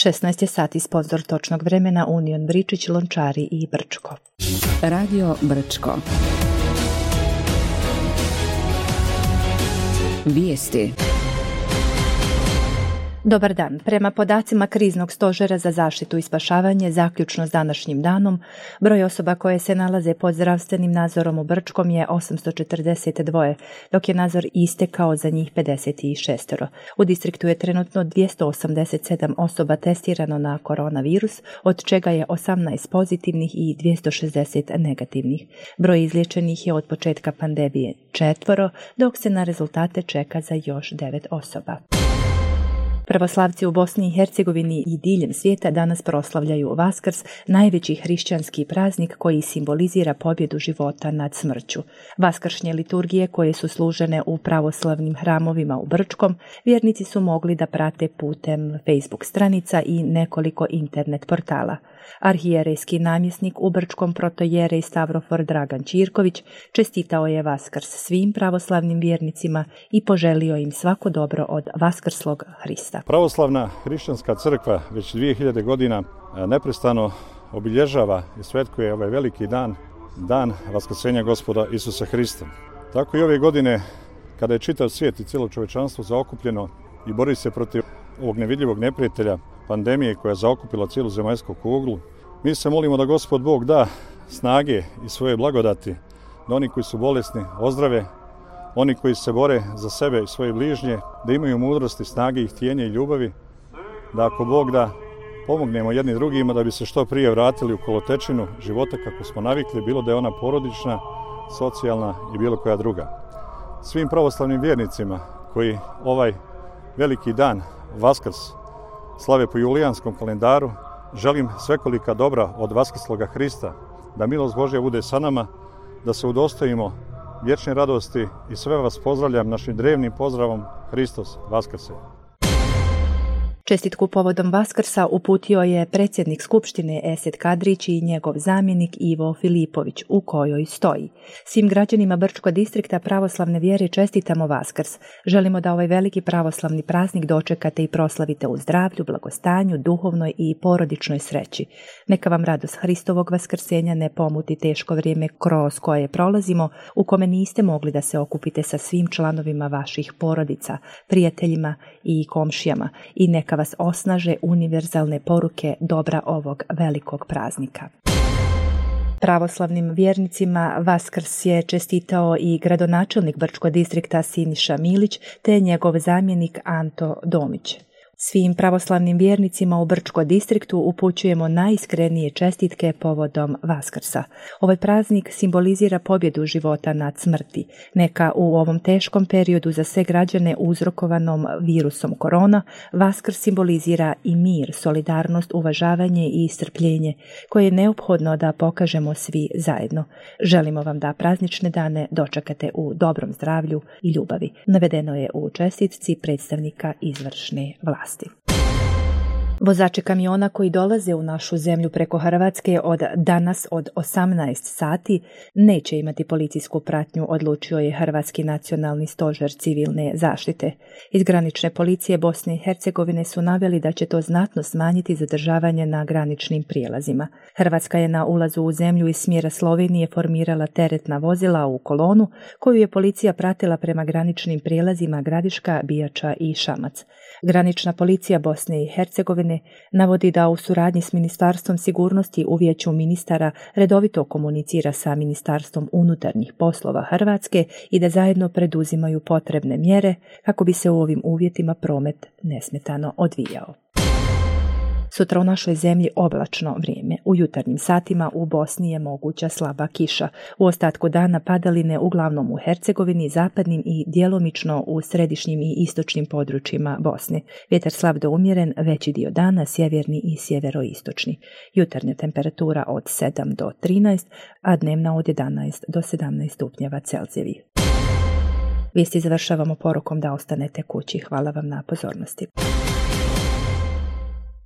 16 je sati, sponsor točnog vremena Union Bričić, Lončari i Brčko. Radio Brčko. Vijesti. Dobar dan. Prema podacima Kriznog stožera za zaštitu i spašavanje, zaključno s današnjim danom, broj osoba koje se nalaze pod zdravstvenim nadzorom u Brčkom je 842, dok je nadzor istekao za njih 56. U distriktu je trenutno 287 osoba testirano na koronavirus, od čega je 18 pozitivnih i 260 negativnih. Broj izliječenih je od početka pandemije 4, dok se na rezultate čeka za još 9 osoba. Pravoslavci u Bosni i Hercegovini i diljem svijeta danas proslavljaju Vaskrs, najveći hrišćanski praznik koji simbolizira pobjedu života nad smrću. Vaskršnje liturgije koje su služene u pravoslavnim hramovima u Brčkom, vjernici su mogli da prate putem Facebook stranica i nekoliko internet portala. Arhijerejski namjesnik u Brčkom protojerej Stavrofor Dragan Ćirković čestitao je Vaskrs svim pravoslavnim vjernicima i poželio im svako dobro od vaskrslog Hrista. Pravoslavna hrišćanska crkva već 2000 godina neprestano obilježava i svetkuje ovaj veliki dan, dan vaskrsenja Gospoda Isusa Hrista. Tako i ove godine, kada je čitav svijet i cijelo čovječanstvo zaokupljeno i bori se protiv ovog nevidljivog neprijatelja, pandemije koja je zaokupila cijelu zemaljsku kuglu, mi se molimo da Gospod Bog da snage i svoje blagodati, da oni koji su bolesni ozdrave, oni koji se bore za sebe i svoje bližnje, da imaju mudrosti, snage i htjenje i ljubavi, da ako Bog da pomognemo jedni drugima da bi se što prije vratili u kolotečinu života kako smo navikli, bilo da je ona porodična, socijalna i bilo koja druga. Svim pravoslavnim vjernicima koji ovaj veliki dan, Vaskrs, slave po julijanskom kalendaru, želim svekolika dobra od vaskrsloga Hrista, da milost Božja bude sa nama, da se udostojimo vječne radosti i sve vas pozdravljam našim drevnim pozdravom Hristos Vaskrse. Čestitku povodom Vaskrsa uputio je predsjednik Skupštine Esed Kadrić i njegov zamjenik Ivo Filipović, u kojoj stoji: svim građanima Brčkog distrikta pravoslavne vjere čestitamo Vaskrs. Želimo da ovaj veliki pravoslavni praznik dočekate i proslavite u zdravlju, blagostanju, duhovnoj i porodičnoj sreći. Neka vam radost Hristovog vaskrsenja ne pomuti teško vrijeme kroz koje prolazimo, u kome niste mogli da se okupite sa svim članovima vaših porodica, prijateljima i komšijama, i neka vas osnaže univerzalne poruke dobra ovog velikog praznika. Pravoslavnim vjernicima Vaskrs je čestitao i gradonačelnik Brčkog distrikta Siniša Milić te njegov zamjenik Anto Domić. Svim pravoslavnim vjernicima u Brčkom distriktu upućujemo najiskrenije čestitke povodom Vaskrsa. Ovaj praznik simbolizira pobjedu života nad smrti. Neka u ovom teškom periodu za sve građane uzrokovanom virusom korona, Vaskrs simbolizira i mir, solidarnost, uvažavanje i strpljenje koje je neophodno da pokažemo svi zajedno. Želimo vam da praznične dane dočekate u dobrom zdravlju i ljubavi. Navedeno je u čestitci predstavnika izvršne vlasti. Vozači kamiona koji dolaze u našu zemlju preko Hrvatske od danas od 18 sati neće imati policijsku pratnju, odlučio je Hrvatski nacionalni stožer civilne zaštite. Iz granične policije Bosne i Hercegovine su naveli da će to znatno smanjiti zadržavanje na graničnim prijelazima. Hrvatska je na ulazu u zemlju iz smjera Slovenije formirala teretna vozila u kolonu koju je policija pratila prema graničnim prijelazima Gradiška, Bijača i Šamac. Granična policija Bosne i Hercegovine navodi da u suradnji s Ministarstvom sigurnosti u Vijeću ministara redovito komunicira sa Ministarstvom unutarnjih poslova Hrvatske i da zajedno preduzimaju potrebne mjere kako bi se u ovim uvjetima promet nesmetano odvijao. Sutra u našoj zemlji oblačno vrijeme. U jutarnjim satima u Bosni je moguća slaba kiša. U ostatku dana padaline uglavnom u Hercegovini, zapadnim i djelomično u središnjim i istočnim područjima Bosne. Vjetar slab do umjeren, veći dio dana sjeverni i sjeveroistočni. Jutarnja temperatura od 7 do 13, a dnevna od 11 do 17 stupnjeva Celzijevih. Vijesti završavamo porukom da ostanete kući. Hvala vam na pozornosti.